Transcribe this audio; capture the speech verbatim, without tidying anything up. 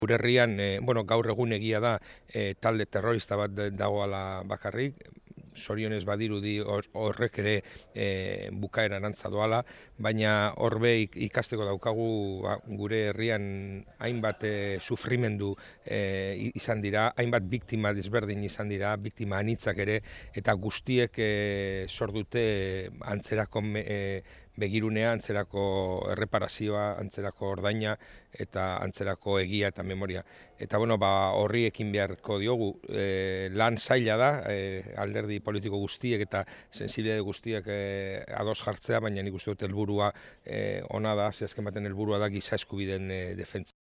Gure herrian, e, bueno, gaur egun egia da e, talde terrorista bat dagoala bakarrik, sorionez badirudi horrek ere e, bukaeran antza doala, baina horbe ikasteko daukagu ba, gure herrian hainbat e, sufrimendu e, izan dira, hainbat biktima desberdin izan dira, biktima anitzak ere, eta guztiek e, sor dute antzerako e, begirunea, antzerako erreparazioa, antzerako ordaina eta antzerako egia eta memoria. Eta bueno, ba, horri ekin beharko diogu, e, lan zaila da, e, alderdi politiko guztiek eta sensibilitate guztiek e, ados jartzea, baina nik uste dut helburua e, ona da, ze azken baten helburua da giza eskubideen e, defentsa.